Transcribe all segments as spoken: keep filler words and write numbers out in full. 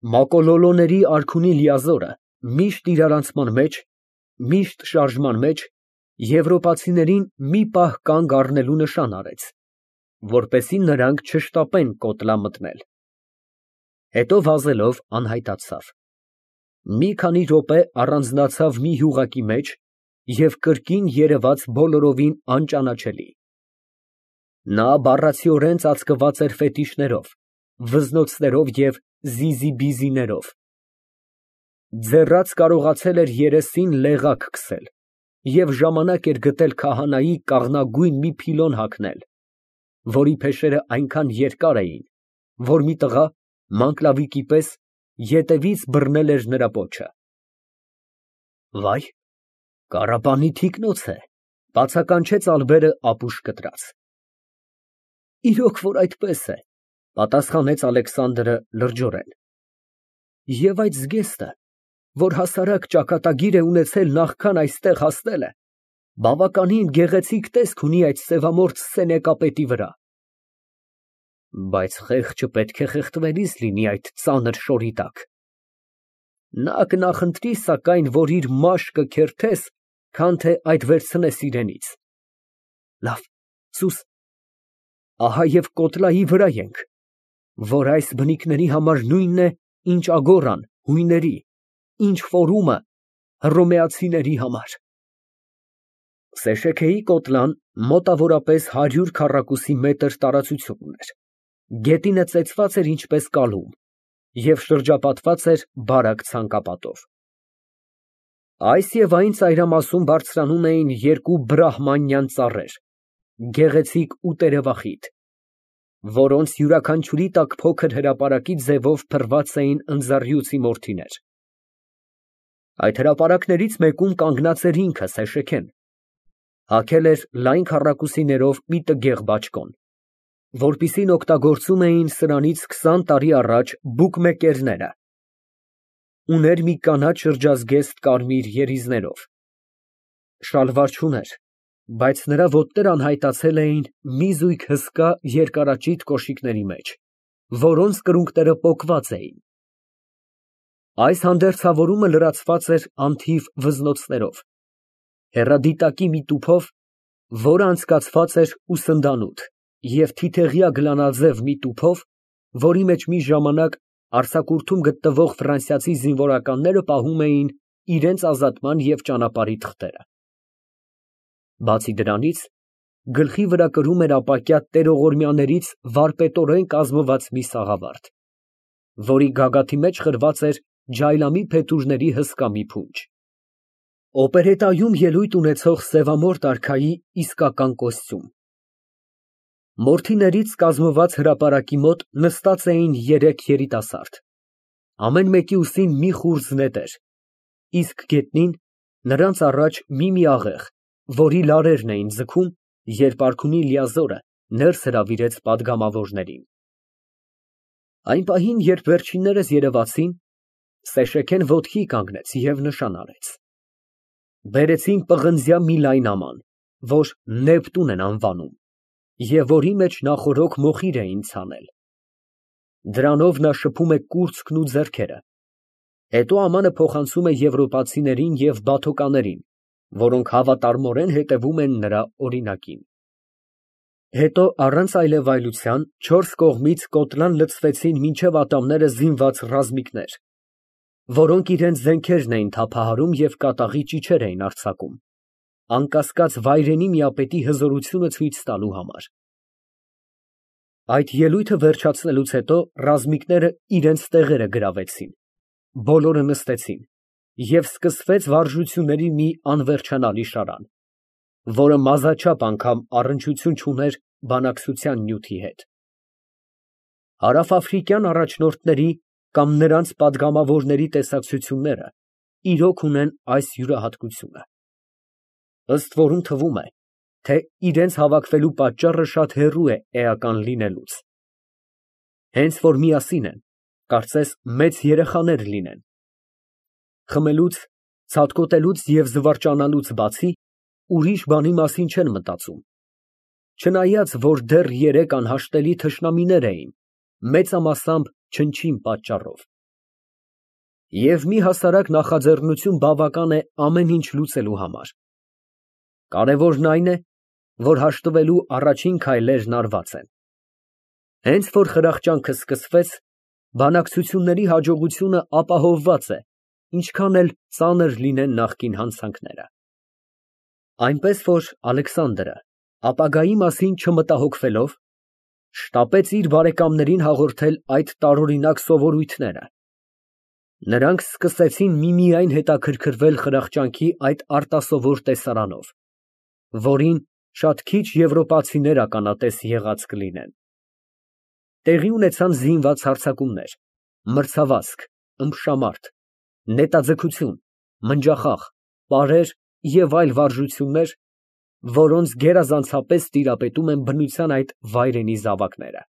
Մակոլոլոների արքունի լիազորը միշտ իրարանցման մեջ, միշտ շարժման մեջ, եվրոպացիներին մի պահ կանգ առնելու նշան արեց, որպեսզի նրանք չշտապեն կոտլա մտնել, հետո վազելով անհայտացավ, մի քանի րոպե առանձնացավ մի յուղակի մեջ և կրկին երևաց բոլորովին անճանաչելի. նա բառացիորեն ծածկված էր ֆետիշներով, վզնոցներով և զիզիբիզիներով, ձեռաց կարողացել էր երեսին լեղակ քսել և ժամանակ էր գտել քահանայի կաղնագույն մի փիլոն հագնել, որի փեշերն այնքան երկար էին, որ մի տղա, մանկլավիկի պես, ետևից բռնել էր նրա պոչը։ Վայ, կառապանի թիկնոց է, բացականչեց Ալբերը ապուշ կտրած։ Իրոք որ այդպես է, պատասխանեց Ալեքսանդրը լրջորեն, և այդ զգեստը, որ հասարակ ճակատագիր է ունեցել նախքան այստեղ հասնելը, բավականին գեղեցիկ տեսք ունի այդ սևամորթ սենեկապետի վրա, բայց խեղճը պետք է խեղդվելիս լինի այդ ծանր շորի տակ, նա կնախընտրի սակայն, որ իր մաշկը քերթես, քան թե այդ վերցնես իրենից, լավ, սուս, ահա և կոտլայի վրա ենք, որ այս բնիկների համար նույնն է, ինչ ագոռան, հույների, ինչ ֆորումը, հռոմեացիների համար։ Սեշեքեի կոտլան մոտավորապես հարյուր քառակուսի մետր տարածություն ուներ, գետինը ծեծված էր ինչպես կալում և շրջապատված էր բարակ ցանկապատով։ Այս և այն ծայրամասում բարձրանում էին երկու բրահմանյան ծառեր, գեղեցիկ ու տերևախիտ, որոնց յուրաքանչյուրի տակ փոքր հրապարակի ձևով փռված էին ընձառյուծի մորթիներ։ Այդ հրապարակներից մեկում կանգնած էր ինքը Սեշեքեն, հագել էր լայն քառակուսիներով մի տգեղ բաճկոն, որպիսին օգտագործում էին սրանից քսան տարի առաջ բուկմեկերները, ուներ մի կանաչ շրջազգեստ կարմիր երիզներով, շալվար չուներ, բայց նրա ոտները անհայտացել էին մի զույգ հսկա երկարաճիտ կոշիկների մեջ, որոնց կրունկները պոկված էին։ Այս հանդերձավորումը լրացված էր անթիվ վզնոցներով, հեռադիտակի մի տուփով, որը անցկացված էր ուսնդանոտ, և թիթեղյա գլանաձև մի տուփով, որի մեջ մի ժամանակ արձակուրդում գտնվող ֆրանսիացի զինվորականները պահում էին իրենց ազատման և ճանապարհի թղթերը։ Բացի դրանից, գլխի վրա կրում էր ապակյա տերողորմյաներից վարպետորեն կազմված մի սաղավարտ, որի գագաթի մեջ խրված էր ջայլամի փետուրների հսկա մի փունջ։ Օպերետայում ելույթ ունեցող սևամորթ արքայի իսկական կոստյում։ Մորթիներից կազմված հրապարակի մոտ նստած էին երեք երիտասարդ, ամեն մեկի ուսին մի խուրձ նետեր, իսկ գետնին նրանց առաջ մի֊մի աղեղ, որի լարերն էին ձգում, երբ արքունի լիազորը ներս հրավիրեց պատգամավորներին։ Այն պահին, երբ վերջիններս երևացին, Սեշեքեն ոտքի կանգնեց և նշան արեց։ Բերեցին պղնձյա մի լայն աման, որ Նեպտուն են անվանում, և որի մեջ նախօրոք մոխիր էին ցանել։ Դրանով նա շփում է կուրծքն ու ձեռքերը, հետո ամանը փոխանցում է եվրոպացիներին և բաթոկաներին, որոնք հավատարմորեն հետևում են նրա օրինակին։ Հետո առանց այլևայլության չորս կողմից կոտլան լցվեցին մինչև ատամները զինված ռազմիկներ, որոնք իրենց զենքերն էին թափահարում և կատաղի ճիչեր էին արձակում, անկասկած վայրենի միապետի հզորությունը ցույց տալու համար։ Այդ ելույթը վերջացնելուց հետո ռազմիկները իրենց տեղերը գրավեցին, բոլորը նստեցին, և սկսվեց վարժությունների մի անվերջանալի շարան, որը մազաչափ անգամ առնչություն չուներ բանակցության նյութի հետ։ Հարավաֆրիկյան առաջնորդների կամ նրանց պատգամավորների տեսակցությունները իրոք ունեն այս յուրահատկությունը. ըստ որում թվում է, թե իրենց հավաքվելու պատճառը շատ հեռու է էական լինելուց։ Հենց որ միասին են, կարծես մեծ երեխաներ լինեն։ Խմելուց, ցատկոտելուց և զվարճանալուց բացի, ուրիշ բանի մասին չեն մտածում, չնայած որ դեռ երեկ անհաշտելի թշնամիներ էին, մեծամասամբ չնչին պատճառով։ Եվ մի հասարակ նախաձեռնություն բավական է ամեն ինչ լուծելու համար։ Կարևորն այն է, որ հաշտվելու առաջին քայլերն արված են։ Հենց որ խրախճանքը սկսվեց, բանակցությունների հաջողությունը ապահովված է, ինչքան էլ ծանր լինեն նախկին հանցանքները։ Այնպես որ Ալեքսանդրը, ապագայի մասին չմտահոգվելով, շտապեց իր բարեկամներին հաղորդել այդ տարօրինակ սովորույթները։ Նրանք սկսեցին միմիայն հետաքրքրվել խրախճանքի այդ արտասովոր տեսարանով, որին շատ քիչ եվրոպացիներ ականատես եղած կլինեն։ Տեղի ունեցան զինված հարձակումներ, մրցավազք, ըմբշամարդ, նետաձգություն, մնջախաղ, պարեր և այլ վարժություններ, որոնց գերազանցապես տիրապետում են բնության այդ վայրենի զավակները։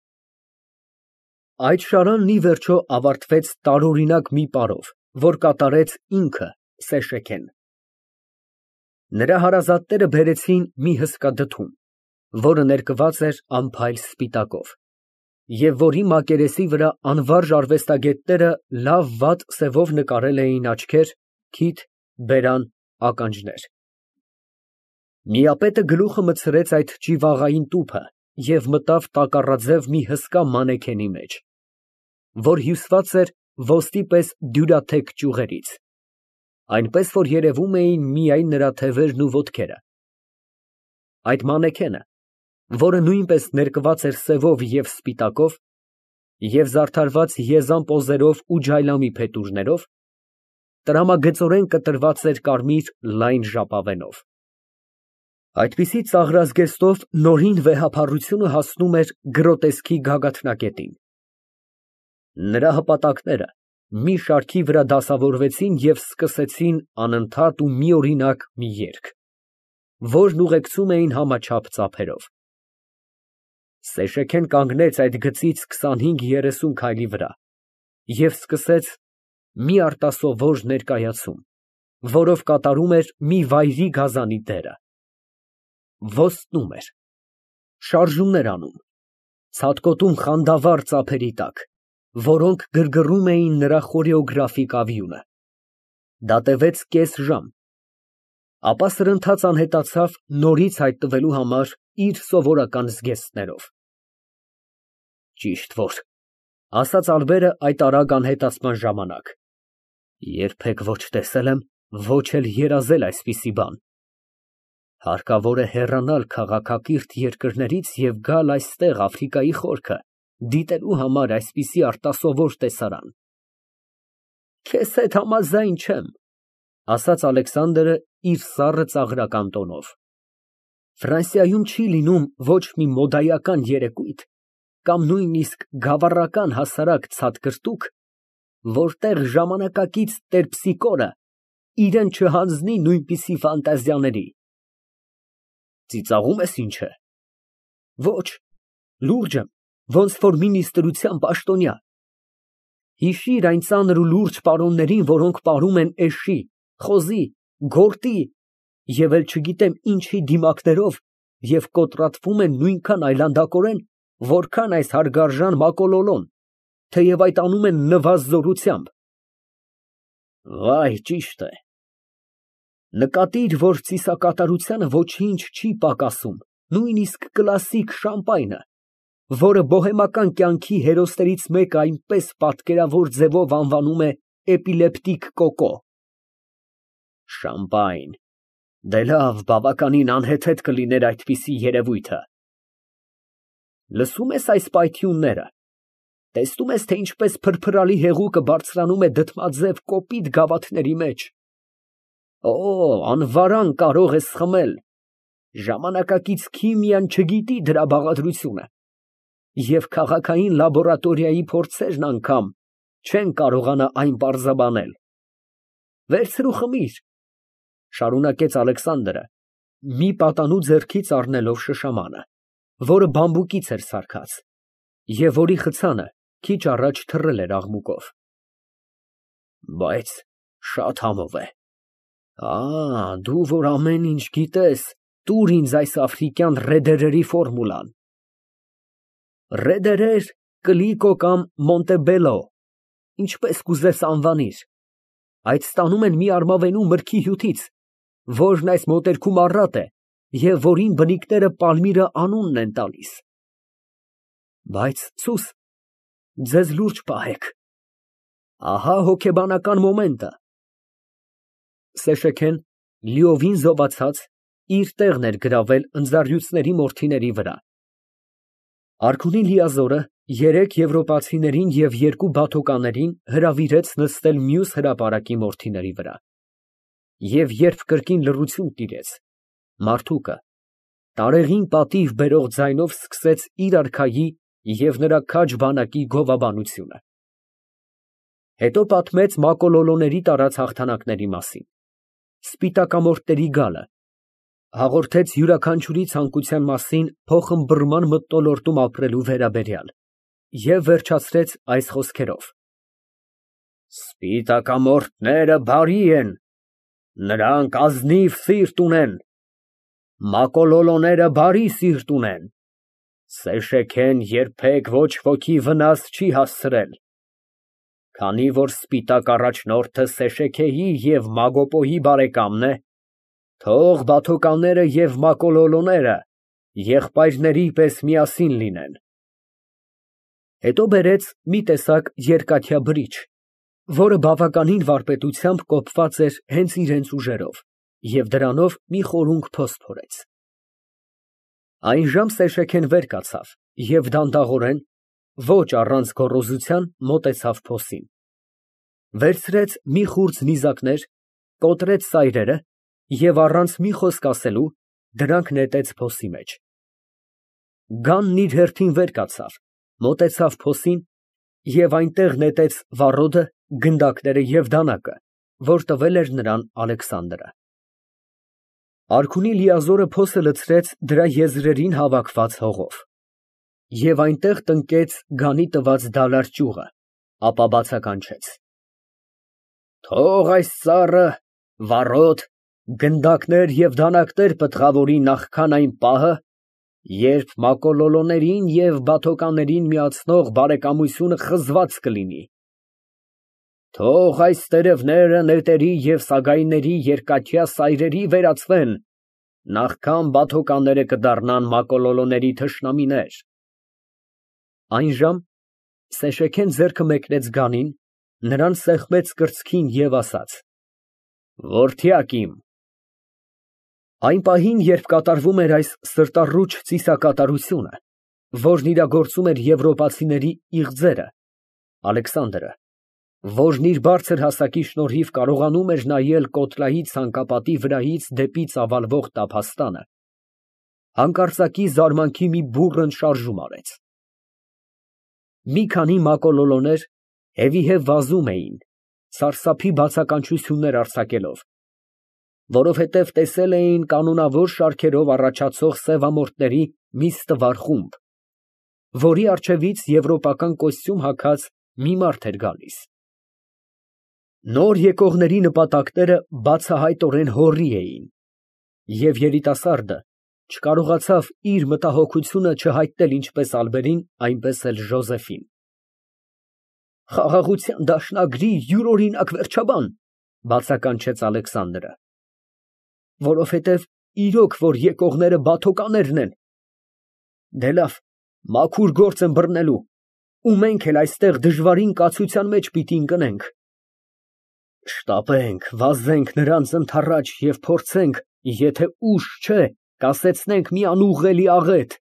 Այդ շարանն ի վերջո ավարտվեց տարօրինակ մի պարով, որ կատարեց ինքը Սեշեքեն։ Նրա հարազատները բերեցին մի հսկա դդում, որը ներկված էր անփայլ սպիտակով, և որի մակերեսի վրա անվարժ արվեստագետները լավ վատ սևով նկարել էին աչքեր, քիթ, բերան, ականջներ։ Միապետը գլուխը մտցրեց այդ ճիվաղային տուփը և մտավ տակառաձև մի հսկա մանեքենի մեջ, որ հյուսված էր ոսկի պես դյուրաթեք ճյուղերից, այնպես որ երևում էին միայն նրա թևերն ու ոտքերը։ Այդ մանեքենը, որը նույնպես ներկված էր սևով և սպիտակով և զարդարված եզան պոզերով ու ջայլամի փետուրներով, տրամագծորեն կտրված էր կարմիր լայն ժապավենով։ Այդպիսի ծաղրազգեստով նորին վեհափառությունը հասնում էր գրոտեսկի գագաթնակետին։ Նրա հպատակները մի շարքի վրա դասավորվեցին և սկսեցին անընդհատ ու միօրինակ մի երգ, որն ուղեկցում էին համաչափ ծափերով։ Սեշեքեն կանգնեց այդ գծից քսանհինգ֊երեսուն քայլի վրա և սկսեց մի արտասովոր ներկայացում, որով կատարում էր մի վայրի գազանի դերը։ Ոստնում էր, շարժումներ անում, ցատկոտում խանդավառ ծափերի տակ, որոնք գրգռում էին նրա խորեոգրաֆիկ ավյունը։ Դա տևեց կես ժամ, ապա սրընթաց անհետացավ նորից հայտնվելու համար իր սովորական զգեստներով։ Ճիշտ որ, ասաց Ալբերը այդ արագ անհետացման ժամանակ, երբեք ոչ տեսել եմ, ոչ էլ երազել այսպիսի բան։ Հարկավոր է հեռանալ քաղաքակիրթ երկրներից և գալ այստեղ Աֆրիկայի խորքը, դիտելու համար այսպիսի արտասովոր տեսարան։ Քեզ հետ համաձայն չեմ, ասաց Ալեքսանդրը իր սառը ծաղրական տոնով։ Ֆրանսիայում չի լինում ոչ մի մոդայական երեկույթ կամ նույնիսկ գավառական հասարակ ցատկրտուկ, որտեղ ժամանակակից տերպսիկորը իրան չհանձնի նույնպիսի ֆանտազիաների։ Ծիծաղում ես, ինչ է։ Ոչ, լուրջ եմ, ոնց որ մի նիստերության պաշտոնյա։ Հիշիր այն ծանր ու լուրջ պարոններին, որոնք պարում են էշի, խոզի, գորտի և էլ չգիտեմ ինչի դիմակներով և կոտրատվում են նույնքան այլանդակորեն, որքան այս հարգարժան Մակոլոլոն, թեև այդ անում են նվազ֊զորությամբ։ Վայ, ճիշտ է։ Նկատիր, որ ծիսակատարությանը ոչինչ չի պակասում, նույնիսկ կլասիկ շամպայնը, որը բոհեմական կյանքի հերոսներից մեկը այնպես պատկերավոր ձևով անվանում է էպիլեպտիկ կոկո։ Շամպայն, դե լավ, բավականին անհեթեթ կլիներ այդպիսի երևույթը։ Լսո՞ւմ ես այս պայթյունները, տեսնո՞ւմ ես, թե ինչպես փրփրալի հեղուկը բարձրանում է դդմաձև կոպիտ գավաթների մեջ։ Օ, անվարան կարող ես խմել, ժամանակակից քիմիան չգիտի դրա բաղադրությունը, և քաղաքային լաբորատորիայի փորձերն անգամ չեն կարողանա այն պարզաբանել։ Վերցրու խմիր, շարունակեց Ալեքսանդրը, մի պատանու ձեռքից առնելով շշամանը, որը բամբուկից էր սարքած, և որի խցանը քիչ առաջ թռել էր աղմուկով։ Բայց շատ համով է։ Ա, դու որ ամեն ինչ գիտես, տուր ինձ այս աֆրիկյան ռեդերերի ֆորմուլան։ Ռեդերեր, կլիկո կամ մոնտեբելո, ինչպես կուզես անվանիր, այդ ստանում են մի արմավենու մրգի հյութից, որն այս մոտերքում առատ է և որին բնիկները Պալմիրը անունն են տալիս։ Բայց սուս, ձեզ լուրջ պահեք, ահա հոգեբանական մոմենտը։ Սեշեքեն լիովին զովացած իր տեղն էր գրավել ընձառյուծների մորթիների վրա։ Արքունի Լիազորը երեք եվրոպացիներին և երկու բաթոկաներին հրավիրեց նստել մյուս հրապարակի մորթիների վրա։ Եվ երբ կրկին լռություն տիրեց, մարդուկը տարեղին պատիվ բերող ձայնով սկսեց իր արքայի և նրա քաջ բանակի գովաբանությունը։ Հետո պատմեց մակոլոլոների տարած հաղթանակների մասին, սպիտակամորթների գալը, հաղորդեց յուրաքանչյուրի ցանկության մասին փոխըմբռնման մթնոլորտում ապրելու վերաբերյալ և վերջացրեց այս խոսքերով. Սպիտակամորթները բարի են, նրանք ազնիվ սիրտ ունեն, մակոլոլոները բարի սիրտ ունեն, Սեշեքեն երբեք ոչ ոքի վնաս չի հասցրել, քանի որ սպիտակ առաջնորդը Սեշեքեի և Մագոպոյի բարեկամն է, թող բաթոկանները և մակոլոլոները եղբայրների պես միասին լինեն։ Հետո բերեց մի տեսակ երկաթյա բրիչ, որը բավականին վարպետությամբ կոփված էր հենց իրենց ուժերով, և դրանով մի խորունկ փոստ փորեց։ Այժմ Սեշեքեն վեր կացավ և դանդաղորեն, ոչ առանց գոռոզության, մոտեցավ փոսին, վերցրեց մի խուրձ նիզակներ, կոտրեց սայրերը և առանց մի խոսք ասելու դրանք նետեց փոսի մեջ։ Գանն իր հերթին վեր կացավ, մոտեցավ փոսին և այնտեղ նետեց վառոդը, գնդակները և դանակը, որ տվել էր նրան Ալեքսանդրը։ Արքունի Լիազորը փոսը լցրեց դրա եզրերին հավաքված հողով և այնտեղ տնկեց գանի տված դալար ճյուղը, ապա բացականչեց. Թող այս ծառը վառոդ, գնդակներ և դանակներ պտղավորի նախքան այն պահը, երբ մակոլոլոներին և բաթոկաներին միացնող բարեկամությունը խզված կլինի։ Թող այս տերևները նետերի և սագայների երկաթյա սայրերի վերածվեն, նախքան բաթոկանները կդառնան մակոլոլոների թշնամիներ։ Այնժամ Սեշեքեն ձեռքը մեկնեց գանին, նրան սեղմեց կրծքին և ասաց. Որդյակ իմ։ Այն պահին, երբ կատարվում էր այս սրտառուչ ծիսակատարությունը, որն իրագործում էր եվրոպացիների իղձերը, Ալեքսանդրը, որն իր բարձր հասակի շնորհիվ կարողանում էր նայել Կոտրայի ցանկապատի վրայից դեպի ծավալվող տափաստանը, հանկարծակի զարմանքի մի բուռն շարժում արեց։ Մի քանի մակոլոլոներ հետևի վազում էին, սարսափի բացականչություններ արձակելով, որովհետև տեսել էին կանոնավոր շարքերով առաջացող սևամորթների մի ստվար խումբ, որի առջևից եվրոպական կոստյում հագած մի մարդ էր գալիս։ Նոր եկողների նպատակները բացահայտորեն հոռի էին, և երիտասարդը չկարողացավ իր մտահոգությունը չհայտնել ինչպես ալբերին, այնպես էլ Ժոզեֆին։ Խաղաղության դաշնագրի յուրօրինակ վերջաբան, բացականչեց Ալեքսանդրը, որովհետև իրոք որ եկողները բաթոկաներն են։ Դե լավ, մաքուր գործ եմ բռնելու, ու մենք էլ այստեղ դժվարին կացության մեջ պիտի ընկնենք։ Շտապենք, վազենք նրանց ընդառաջ և փորձենք, եթե ուշ չէ, կասեցնենք մի անուղղելի աղետ,